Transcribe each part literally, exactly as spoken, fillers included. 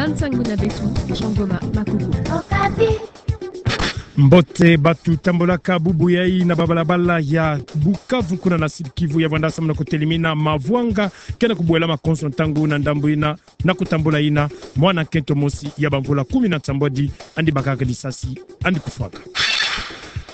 Bansangi na beto, Jean Goma Makuku. Mbote, batu tambolaka bubu yayi na babalabala ya Bukavu kuna na Sud-Kivu ya vwanda samu na kutelimina mavwanga kena kubwela makonso ntangu na ndambu yina na kutambula yina mwana nkento mosi ya bamvula kumi na nsambwadi andi bakaka disasi andi kufwaka.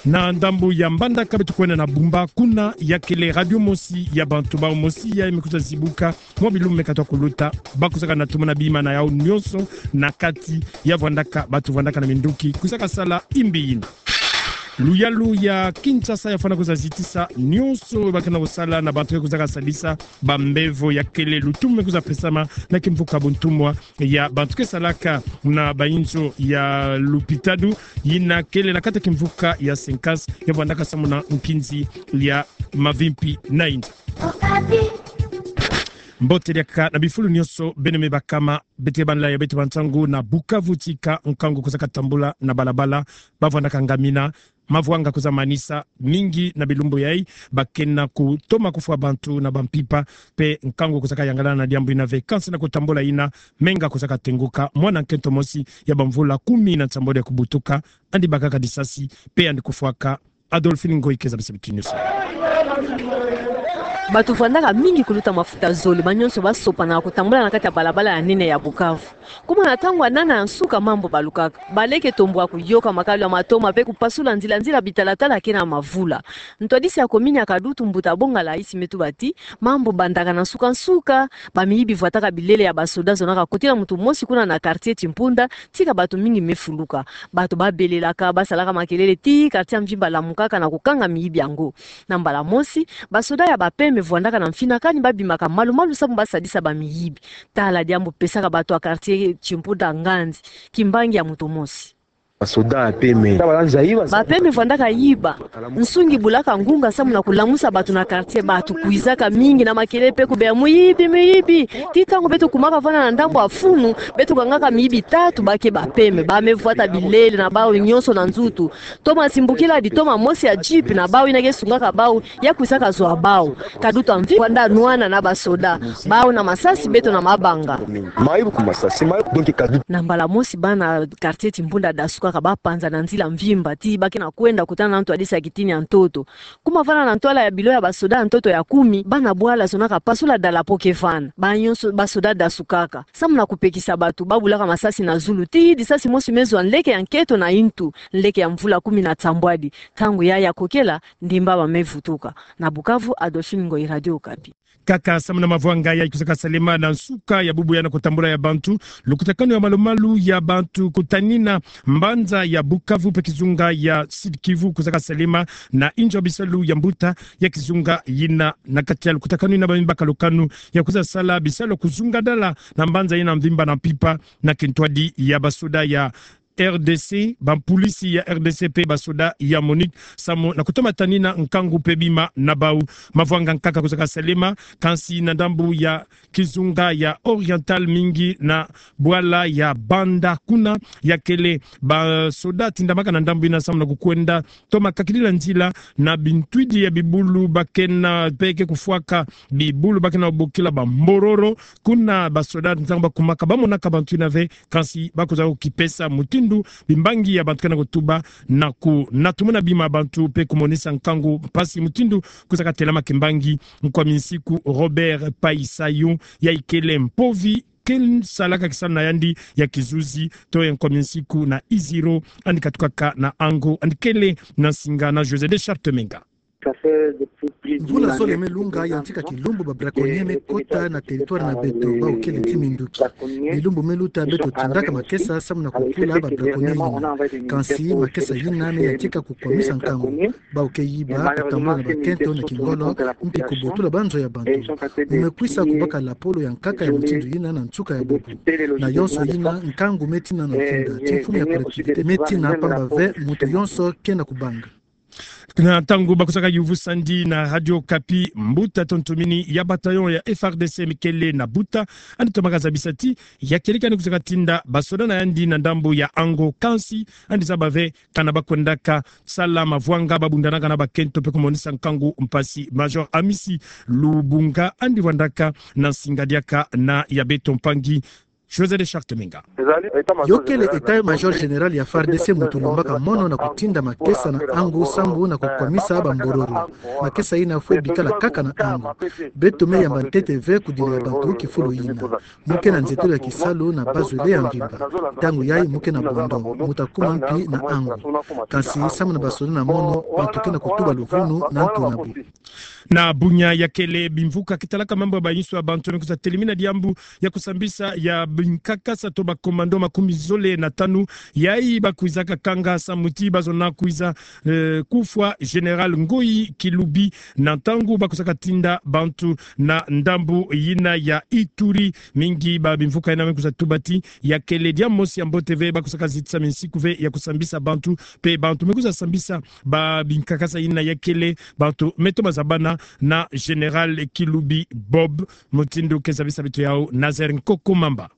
Na ndambu ya Mbandaka beto kwenda na Bumba, kuna ya kele radio mosi ya bantu bau mosi yayi me kwiza zibuka mwa bilumbu me katwa kuluta. Ba kwizaka na tumuna bima na yau nyonso na kati ya vwandaka, batu vwandaka na minduki kwizaka sala imbi yina. Luyalu ya Kinshasa ya fwana kwiza zitisa nyonso ba kena kusala na bantu ke kwizaka sadisa bambevo. Ya kele lutumu me kwiza pesama na kimvuka buntumwa ya bantu ke salaka na bayinzo ya lupitalu yina kele na kati ya kimvuka ya Cinquante ya vwandaka samu na nkinzi ya mavimpi na yinza. Mbote diaka na bifulu nyonso, beno me bakama, beto banlaya beto bansangu na Bukavu, tika nkangu kwizaka tambula na balabala. Ba vwandaka ngamina, mavwanga kwiza manisa mingi na bilumbu yayi, ba kena kutoma kufwa bantu na bampipa, mpe nkangu kwizaka yangalala na diambu yina ve. Kansi na kutambula yina, menga kwizaka tenguka, mwana nkento mosi ya bamvula kumi na nsambwadi ya kubutuka andi bakaka disasi mpe andi kufwaka. Adolphine Ngoyi keza bese bitinyo so. Batu vwandaka mingi kuluta mafuta zole, ba nyonso ba sopana kutambula na kati ya balabala ya nene ya Bukavu. Kuma na ntangu ya nana ya nsuka mambu balukaka. Baleke tombwa kuyoka makalu ya matoma mpe kupasula nzila-nzila bitalatala kena mavula. Ntwadisi ya komini ya Kadutu, mbuta Bonga Laisi, me tuba ti mambu bandaka na nsuka-nsuka. Bamiyibi vwataka bilele ya basoda zonaka kotila muntu mosi kuna na quartier Timpunda, tika batu mingi me fuluka. Batu ba belelaka, ba salaka makelele tii quartier ya mvimba lamukaka na kukanga miyibi yango. Na mbala mosi, basoda ya ba P M vwandaka na mfinakani, ba bimaka malu-malu samu ba sadisa bamiyibi. Tala diambu pesaka batu ya quartier Timpunda nganzi: kimbangi ya muntu mosi. Basoda ya P M. Ba P M vwandaka yiba. Nsungi bulaka ngunga samu na kulamusa batu na quartier. Batu kwizaka mingi na makelele mpe kubeya: muyibi, muyibi! Tii ntangu beto kumaka vwanda na ndambu ya funu, beto kangaka miyibi tatu ba ke ba P M. Ba me vwata bilele na bau nyonso na nzutu. Toma Simbukila, ditoma mosi ya jeep na bau yina ke sungaka bau, ya kwizaka zwa bau. Kadutu ya mvimba kwanda nwana na basoda. Bau na masasi, beto na mabanga. Mayibu ku masasi, mayibu, donc Kadutu. Na mbala mosi bana quartier Timpunda dasukaka, ba panza na nzila mvimba tii ba kena kwenda kutana na ntwadisi ya kitini ya ntoto. Kuma vwanda na ntwala ya bilo ya basoda ya ntoto ya kumi, bana bwala zonaka pasula dalapo ke vwanda. Ba nyonso basoda dasukaka. Samu na kupekisa batu, ba bulaka masasi na zulu tii disasi mosi me zwa nleke ya nkento na yintu, nleke ya mvula kumi na nsambwadi. Ntangu yayi ya kokela, ndimba ba me vutuka. Na Bukavu, Adolphine Ngoyi, Radio Okapi. Kaka samu na mavwanga yayi kwizaka salema na nsuka ya bubu ya na kutambula ya bantu, lukutakanu ya malu-malu ya bantu kutanina mbanza ya Bukavu mpe kizunga ya Sud-Kivu kwizaka salema na inzo ya bisalu ya mbuta ya kizunga yina. Na kati ya lukutakanu yina ba me baka lukanu ya kwiza sala bisalu kuzungadala na mbanza yina mvimba na mpimpa na kintwadi ya basoda ya R D C, bampolisi ya R D C mpe basoda ya MONUC samu na kutoma tanina nkangu mpe bima na bau. Mavwanga nkaka kwizaka salema, kansi na ndambu ya kizunga ya Oriental, mingi na bwala ya Banda, kuna ya kele basoda tindamaka na ndambu yina samu na kukwenda toma kakidila nzila na bintwidi ya bibulu ba kena mpe ke kufwaka bibulu ba kena bokila bambororo. Kuna basoda ntangu ba kumaka, ba monaka bantu yina ve, kansi ba kwiza kukipesa mutindu bimbangi ya bantu kena kutuba na ku-, na tumuna bima bantu mpe kumonisa nkangu mpasi mutindu kwizaka telama kimbangi. Nkwa minsiku Robert Paisayo, yayi kele mpovi ke salaka kisalu na yandi ya kizuzi, to ya nkwa minsiku na Iziro, andi katukaka na Ango, andi kele na nsinga na José de Charte Menga. Mvula zole me lunga, yantika kilumbu ba braconnier me kota na territoire na beto, bau kele ti minduki. Bilumbu me luta beto tindaka makesa samu na kukula ba braconnier yina. Kansi makesa yina me yantika kukwamisa nkangu. Bau ke yiba, kutambula na bakento na kingolo, mpi kubotula banzo ya bantu. Mu me kwisa kubaka lapolo ya nkaka ya mutindu yina na nsuka ya bubu. Na yonso yina, nkangu me tina na mfinda, ti mfumu ya collectivité me tina, pamba ve muntu yonso kena kubanga. Na ntangu ba kwizaka yuvu sandi na Radio Okapi, mbuta tontumini ya bataillon ya F R D C me kele na Buta, andi tomaka zabisa ti ya kieleka andi kwizaka tinda basoda na yandi na ndambu ya Ango, kansi andi zaba ve kana ba kwendaka sala mavwanga, ba bundanaka na bakento mpe kumonisa nkangu mpasi. Major Amisi Lubunga, andi vwandaka na nsinga diaka na ya beto mpangi José de Charte Menga. Yo kele état-major général ya FARDC, muntu lombaka mono na kutinda makesa na angu sambu na kukwamisa bambororo. Makesa yina fwe bikala kaka na angu. Beto me yamba ntete ve kudila ya bantu kifulu yina. Mu ke na nzetolo ya kisalu na bazule ya mvimba. Ntangu yayi mu ke na bondo, mu ta kuma mpi na angu. Kansi samu na basoda na mono, bantu ke na kutuba luvunu na ntu na bu. Na bunya ya kele bimvuka kitalaka mambu ya bayinso ya bantu me kwiza telimina diambu ya kusambisa ya binkakasa to ba commando makumi zole na tanu, yayi ba kwizaka kanga samu ti ba zona kwiza, eh, kufwa Général Ngoyi Kilubi na ntangu ba kwizaka tinda bantu na ndambu yina ya Ituri. Mingi ba bimvuka yina me kwiza tuba ti ya kele diambu mosi ya mbote ve, ba kwizaka zitisa minsiku ve ya kusambisa bantu, mpe bantu me kwiza sambisa ba binkakasa yina ya kele bantu me toma zabana na Général Kilubi Bob. Mutindu ke zabisa beto yawu Nazaire Nkoko Mamba.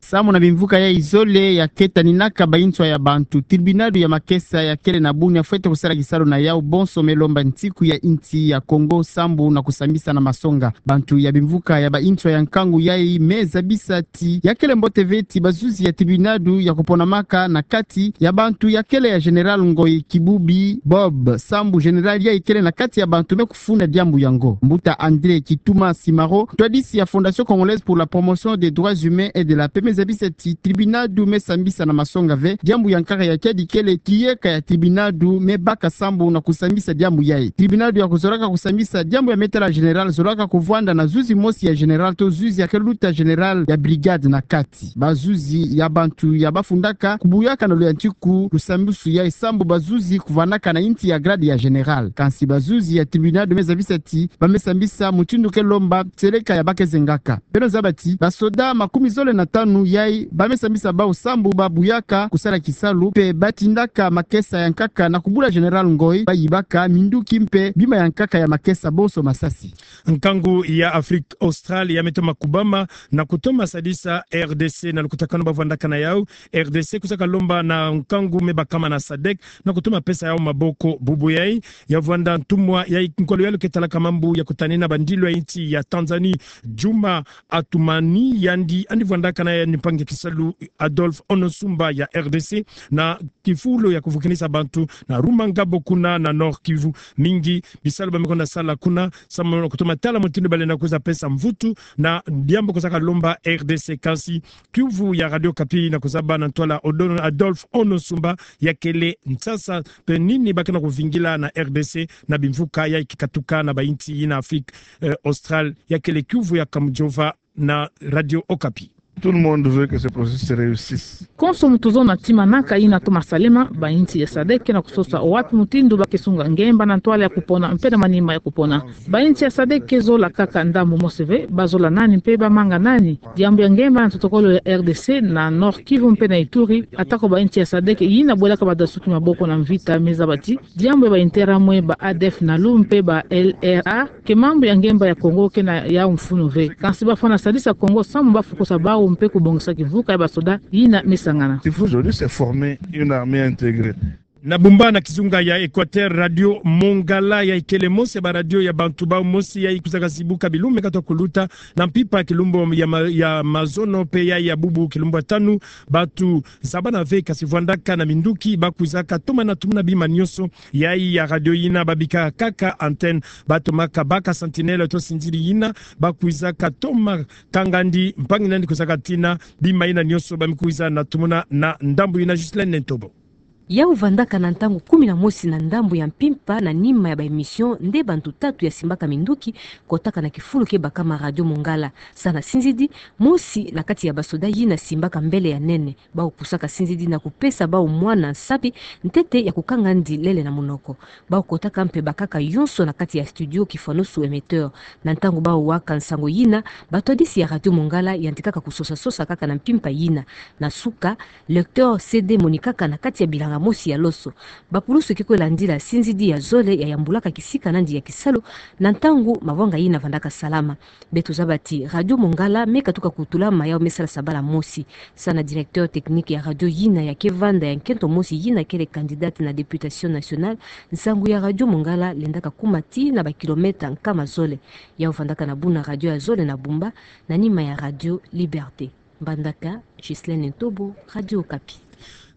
Samu na bimvuka yayi zole ya ketaninaka bayinso ya bantu, tribunal ya makesa ya kele na bunya fwete kusala kisalu na yawu bonso me lomba ntiku ya insi ya Congo sambu na kusambisa na masonga. Bantu ya bimvuka ya bayinso ya nkangu yayi me zabisa ti ya kele mbote ve ti bazuzi ya tribunal ya kuponamaka na kati ya bantu ya kele ya Général Ngoyi Kilubi Bob, sambu général yayi kele na kati ya bantu me kufunda diambu yango. Mbuta André Kituma Simaro, ntwadisi ya Fondation Congolaise pour la Promotion des Droits Humains et de la Paix, me zabisa ti tribunal me sambisa na masonga ve diambu ya nkaka ya kiadi kele ti yeka ya tribunal me baka sambu na kusambisa diambu yayi. Tribunal ya kuzolaka kusambisa diambu ya me tala général zolaka kuvwanda na zuzi mosi ya général to zuzi ya ke luta général ya brigade na kati. Bazuzi ya bantu ya bafundaka kubuyaka na luyantiku lusambusu yayi sambu bazuzi kuvwanaka na insi ya grade ya général. Kansi bazuzi ya tribunal me zabisa ti ba me sambisa mutindu ke lomba seleka ya ba ke zengaka. Beno zaba ti basoda makumi zole na tanu yayi ba me sambisa bawu sambu ba buyaka kusala kisalu mpe ba tindaka makesa ya nkaka na kubula Général Ngoyi, ba yibaka minduki mpe bima ya nkaka ya makesa bonso masasi. Nkangu ya Afrique Australe ya me toma kubama na kutoma sadisa R D C na lukutakanu ba vwandaka na yawu. R D C kwizaka lomba na nkangu me bakama na sadek na kutoma pesa yawu maboko. Bubu yayi ya vwanda ntumwa ya nkolo ya lo ke talaka mambu ya kutanina bandilu ya insi ya Tanzanie, Juma Athumani, yandi andi vwandaka na yandi mpangi ya kisalu Adolphe Onosumba ya R D C na kifulu ya kuvukinisa bantu na Rumangabo kuna na Nord-Kivu. Mingi bisalu ba me kwenda sala kuna samu na kutoma tala mutindu ba lenda kwiza pesa mvutu na diambu kwizaka lomba R D C. Kansi kiuvu ya Radio Okapi na kuzaba na ntwala Odon-, Adolphe Onosumba, ya kele nsasa mpe nini ba ke na kuvingila na R D C na bimvuka yayi ke katuka na ba insi yina Afrique, eh, Australe. Ya kele kiuvu ya Kamujova na Radio Okapi. Tout le monde veut que ce processus se réussisse. Konso muntu zona tima naka yina toma salema, ba insi ya sadek ke na kusosa wapi mutindu ba ke sunga ngemba na ntwala ya kupona mpe na manima ya kupona. Ba insi ya sadek ke zola kaka ndambu mosi ve, ba zola nani mpe ba manga nani? Diambu ya ngemba na protocole ya R D C na Nord-Kivu mpe na Ituri, atako ba insi ya sadek yina bwelaka badasuki maboko na mvita me zaba ti diambu ya ba Interahamwe, ba A D F Nalu mpe ba L R A ke mambu ya ngemba ya Congo ke na yawu mfunu ve. Kansi ba fwana sadisa Congo samu ba fukusa bawu mpe kubongisa kimvuka ya basoda yina me sangana. Il faut aujourd'hui se former une armée intégrée. Na Bumba na kizunga ya Equateur, Radio Mongala ya ikele mosi ya ba radio ya bantu bawu mosi ya ikwizaka zibuka bilumbu me katuka kuluta na mpimpa kilumbu ya ma-, ya mazono mpe ya, ya bubu kilumbu ya tanu. Bantu zabana ve kansi vwandaka na minduki ba kwizaka toma na tumuna bima nyonso yayi ya radio yina ba bikaka kaka antenne. Ba tomaka baka sentinelle to sinziri yina ba kwizaka toma kanga ndi mpangi nandi kwizaka tina bima yina nyonso ba me kwiza na tumuna na ndambu yina. Justine Nentobo. Yawu vandaka na ntangu kumi na mosi na ndambu ya mpimpa na nima ya ba émission nde bantu tatu ya simbaka minduki kotaka na kifulu ke bakama Radio Mongala. Sa na sinzidi, mosi na kati ya basoda yina simbaka mbele ya nene, bawu pusaka sinzidi na kupesa bawu mwana nsabi ntete ya kukanga ndi lele na munoko. Bawu kotaka mpe bakaka yonso na kati ya studio kifwanusu émetteur. Na ntangu bawu waka nsangu yina, batwadisi ya Radio Mongala yantikaka kusosa-sosa kaka na mpimpa yina. Na suka, lecteur C D monikaka na kati ya bilanga mosi ya loso. Bapulusu ke kwe landila sinzidi ya zole ya yambulaka kisika nandi ya kisalu na ntangu mavanga yina vandaka salama. Beto zaba ti Radio Mongala me katuka kutulama yawu me sala sabala mosi. Sa na directeur technique ya radio yina ya ke vanda ya nkento mosi yina kele candidate na députation nationale, nsangu ya Radio Mongala lendaka kuma tii na ba kilomètre nkama zole. Yawu vandaka na buna radio ya zole na Bumba, na nima ya Radio Liberté. Mbandaka, Ghislaine Ntobo, Radio Okapi.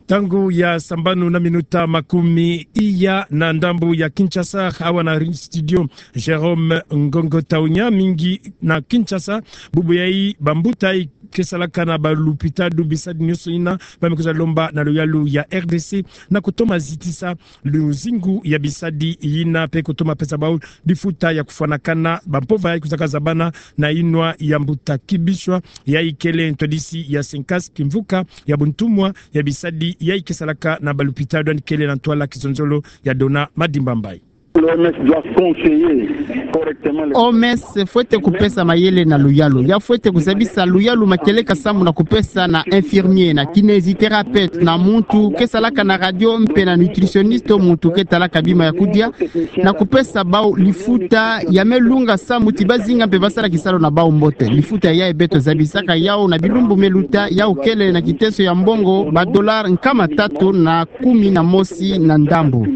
Ntangu ya sambanu na minuta makumi iya na ndambu ya Kinshasa, awa na ri-, studio Jérôme Ngongo Taunya, mingi na Kinshasa. Bubu yayi, bambuta yayi ke salaka na balupitalu, bisadi nyonso yina, ba me kwiza lomba na luyalu ya R D C na kutoma zitisa luzingu ya bisadi yina, mpe kutoma pesa bau lifuta ya kufwanakana bampova yayi kwizaka zabana na yinwa ya mbuta Kibiswa, yayi kele ntwadisi ya Sencas, kimvuka ya buntumwa ya bisadi yayi ke salaka na balupitalu, yandi kele na ntwala kizonzolo ya Dona Madimba Mbayi. L'O M S doit conseiller correctement les... O M S fwete kupesa mayele na luyalu. Ya fwete kuzabisa luyalu ma kieleka samu na kupesa na infirmier, na kinésithérapeute, na muntu ke salaka na radio mpe na nutritionniste, muntu ke talaka bima ya kudia, na kupesa bau lifuta ya me lunga samu ti bazinga mpe basala kisalu na bau mbote. Lifuta yayi beto zabisaka yau na bilumbu me luta, yau kele na kiteso ya mbongo ba dollars nkama tatu na kumi na mosi na ndambu.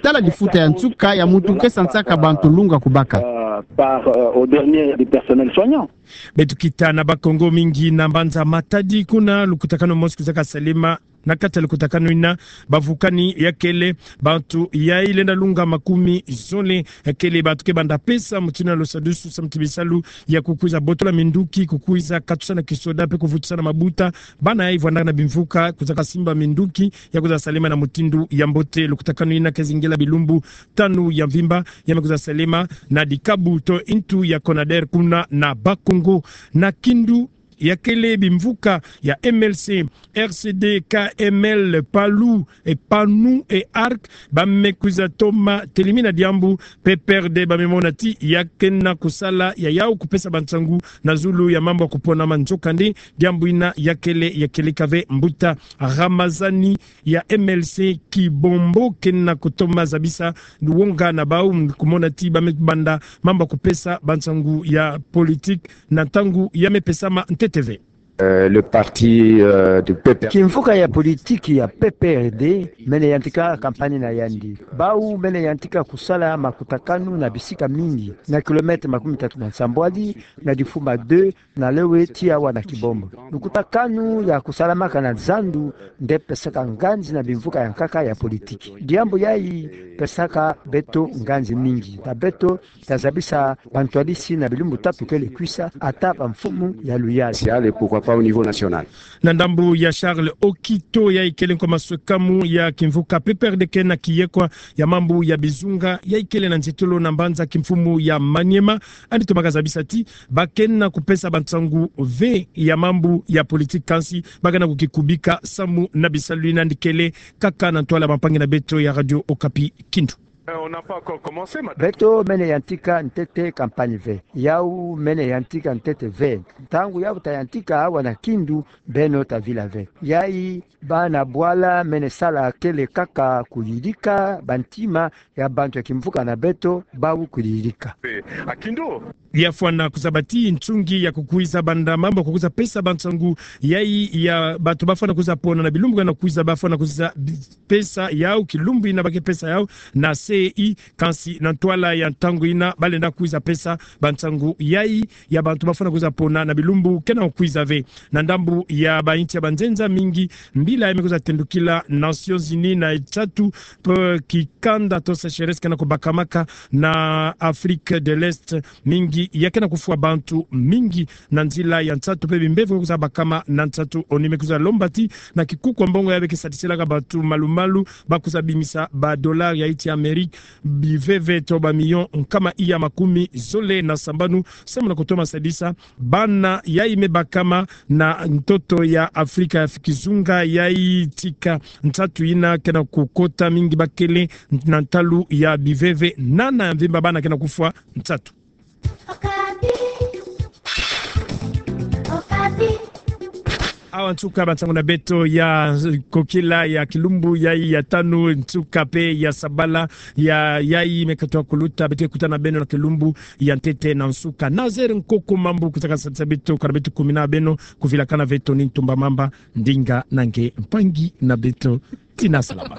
Tala lifuta ya nsuka ya muntu ke sansaka bantu lunga kubaka. Euh, par, euh, au dernier du personnel soignant. Beto kita na Bas-Congo, mingi na mbanza Matadi, kuna lukutakanu mosi kwizaka salema. Na kati ya lukutakanu yina, bavukani ya kele bantu yayi lenda lunga makumi zole, ya kele bantu ke banda pesa mutindu na lusadusu samu ti bisalu ya kukwiza botola minduki, kukwiza katusa na kisoda, mpe kuvutusa na mabuta bana yayi vwandaka na bimvuka, kwizaka simba minduki ya kwiza salema na mutindu ya mbote. Lukutakanu yina ke zingela bilumbu tanu ya mvimba, ya me kwiza salema na dikabu to ntu ya Conader kuna na Bas-Congo. Na Kindu, ya kele bimvuka ya M L C, R C D, K M L, PALU, e PANU, e ARC, ba me kwiza toma telimina diambu, P P R D ba me mona ti ya ke na kusala ya yau kupesa bansangu na zulu ya mambu ya kupona ma, nzokande diambu yina ya kele ya kieleka ve. Mbuta Ramazani ya M L C Kibombo ke na kutoma zabisa luwonga na bau, kumona ti ba me banda mambu ya kupesa bansangu ya politique na ntangu ya me pesama ntete ve. Euh, le parti, euh, du P P R D. Kimvuka ya politique ya P P R D mene yantika campagne na yandi. Bau mene yantika kusala makutakanu na bisika mingi, na kilomètre makumi tatu na nsambwadi, na Difumba deux, na Lewe tii awa na Kibombo. Lukutakanu ya kusalamaka na zandu nde pesaka nganzi na bimvuka ya nkaka ya politique. Diambu yayi pesaka beto nganzi mingi. Na beto ta zabisa bantwadisi na bilumbu tatu kele kwisa, ata bamfumu ya luyalu. National et pourquoi pas au niveau national. Na ndambu ya Charles Okito, yayi kele nkwa maswekamu ya kimvuka P P R D ke na kiyekwa ya mambu ya bizunga, yayi kele na nzietolo na mbanza kimfumu ya Maniema, yandi tomaka zabisa ti ba ke na kupesa bansangu ve ya mambu ya politique, kansi ba ke na kukikubika samu na bisalu yina. Yandi kele kaka na ntwala bampangi na beto ya Radio Okapi Kindu. Euh, on n'a pas encore commencé, madame. Beto mene yantika ntete campagne ve. Yau mene yantika ntete ve. Ntangu yau ta yantika awa na Kindu, beno ta vila ve. Yayi bana bwala mene sala kele kaka kuyidika bantima ya bantu ya kimvuka na beto, bau kuyidika. Eh, à Kindu. Ya fwana kuzaba ti nsungi ya kukwiza banda mambu ya kukwiza pesa bansangu yayi ya bantu ba fwana kwiza pona na bilumbu ke na kwiza, ba fwana kwiza bi-, pesa yau kilumbu yina ba ke pesa yau na C E I, kansi na ntwala ya ntangu yina ba lenda kwiza pesa bansangu yayi ya bantu ba fwana kwiza pona na bilumbu ke na kwiza ve. Na ndambu ya bayinsi ya banzenza mingi, mbila ya me kwiza tendukila Nations Unies na nsatu, mpe kikanda to sécheresse ke na kubakamaka na Afrique de l'Est, mingi ya ke na kufwa bantu mingi na nzila ya nsatu, mpe bimbevo kwiza bakama na nsatu. ONU me kwiza lomba ti na kikuku ya mbongo ya be ke sadisilaka bantu malu-malu, ba kwiza bimisa ba dollars ya nsi ya Amérique biveve to ba millions nkama iya makumi zole na sambanu, samu na kutoma sadisa bana yayi me bakama na ntoto ya Afrika ya kizunga, yayi tika nsatu yina ke na kukota mingi, ba kele na ntalu ya biveve nana ya mvimba, bana ke na kufwa nsatu. Awa nsuka bansangu na beto ya kokila ya kilumbu yayi ya tanu, nsuka mpe ya sabala ya yayi me katuka kuluta. Beto ke kutana na beno na kilumbu ya ntete na nsuka. Nazaire Nkoko Mambu kwiza kasadisa beto, kana beto kumina beno, kuvilakana ve, Tony Ntumba Mamba, ndinga na nge mpangi na beto. Tina salama.